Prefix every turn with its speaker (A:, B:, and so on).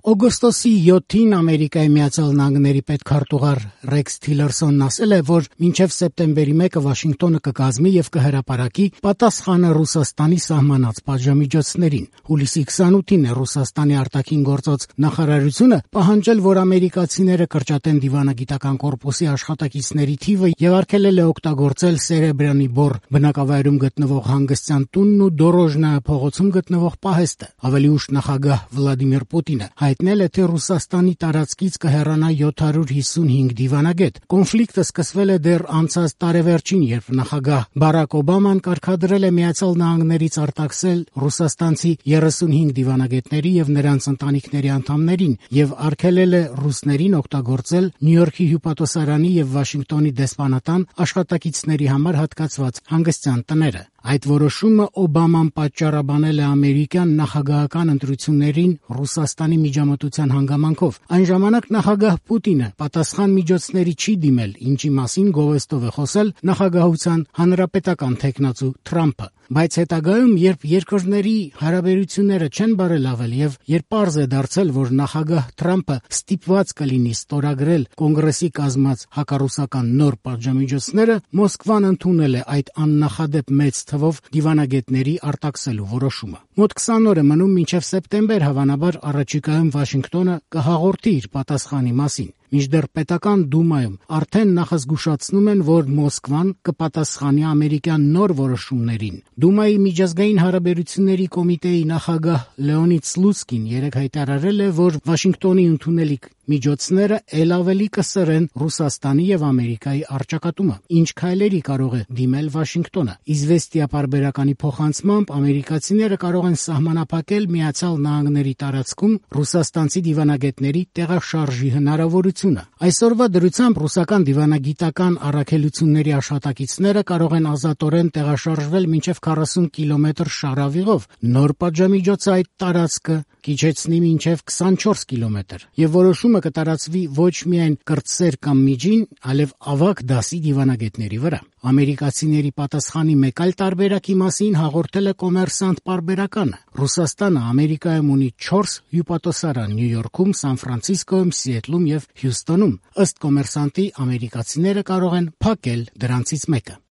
A: Օգոստոսի 7-ին Ամերիկայի Միացյալ Նահանգների պետքարտուղար Ռեքս Թիլերսոնն ասել է, որ մինչև սեպտեմբերի 1-ը Վաշինգտոնը կկազմի եւ կհրապարակի պատասխանը Ռուսաստանի սահմանած պատժամիջոցներին։ Հուլիսի 28-ին է Ռուսաստանի արտաքին գործոց նախարարությունը պահանջել, որ ամերիկացիները կրճատեն դիվանագիտական կորպուսի աշխատակիցների թիվը եւ արգելել է օգտագործել Սերեբրյանի բոռ բնակավայրում գտնվող հանգստյան տունն ու Դորոժնա փողոցում գտնվող պահեստը։ Ավելի ուշ նախագահ Վլադիմիր Պուտինը հայտնել է, թե Ռուսաստանի տարածքից կհեռանա 755 դիվանագետ։ Կոնֆլիկտը սկսվել է դեռ անցած տարեվերջին, երբ նախագահ Բարակ Օբաման կարգադրել է Միացյալ Նահանգներից արտաքսել ռուսաստանցի 35 դիվանագետների եւ նրանց ընտանիքների անդամներին եւ արգելել է ռուսներին օգտագործել Նյու Յորքի հյուպատոսարանի եւ Վաշինգտոնի դեսպանատան աշխատակիցների համար հատկացված հանգստյան տները։ Այդ որոշումը Օբաման պատճառաբանել է ամերիկյան նախագահական ընտրություններին Ռուսաստանի միջամտության հանգամանքով։ Այն ժամանակ նախագահ Պուտինը պատասխան միջոցների չի դիմել, ինչի մասին գովեստով է խոսել նախագահության հանրապետական թեկնածու Թրամփը։ Բայց հետագայում, երբ երկրների հարաբերությունները չեն բարելավել եւ երբ պարզ է դարձել, որ նախագահ Թրամփը ստիպված կլինի ստորագրել կոնգրեսի կազմած հակառուսական նոր պատժամիջոցները, Մոսկվան ընդունել է այդ աննախադեպ մեծ թվով դիվանագետների արտաքսելու որոշումը։ Մոտ 20 օր է մնում մինչև սեպտեմբեր, հավանաբար առաջիկայում Վաշինգտոնը կհաղորդի իր պատասխանի մասին։ Մինչդեռ պետական դումայում արդեն նախազգուշացնում են, որ Մոսկվան կպատասխանի ամերիկյան նոր որոշումներին։ Դումայի միջազգային հարաբերությունների կոմիտեի նախագահ Լեոնիդ Սլուցկին երեկ հայտարարել է, որ Վաշինգտոնի ընդունելիք միջոցները ել ավելի կսրեն Ռուսաստանի եւ Ամերիկայի առճակատումը։ Ինչ քայլերի կարող է դիմել Վաշինգտոնը։ Իզվեստիա պարբերականի փոխանցմամբ ամերիկացիները կարող են սահմանափակել Միացյալ Նահանգների տարածքում ռուսաստանցի դիվանագետների տեղաշարժի հնարավորությունը։ Այսօրվա դրությամբ ռուսական դիվանագիտական առաքելությունների աշխատակիցները կարող են ազատորեն տեղաշարժվել մինչև 40 կիլոմետր շարավիղով։ Նոր պատժամիջոցը այդ տարածքը կիջեցնի մինչև 24 կիլոմետր եւ որոշումը կտարածվի ոչ միայն կրտսեր կամ միջին, այլև ավագ դասի դիվանագետների վրա։ Ամերիկացիների պատասխանի մեկ այլ տարբերակի մասին հաղորդել է Կոմերսանտ պարբերականը։ Ռուսաստանը Ամերիկայում ունի 4 հյուպատոսարան՝ Նյու Յորքում, Սան Ֆրանցիսկոյում, Սիեթլում եւ Հյուսթոնում։ Ըստ Կոմերսանտի, ամերիկացիները կարող են փակել դրանցից մեկը։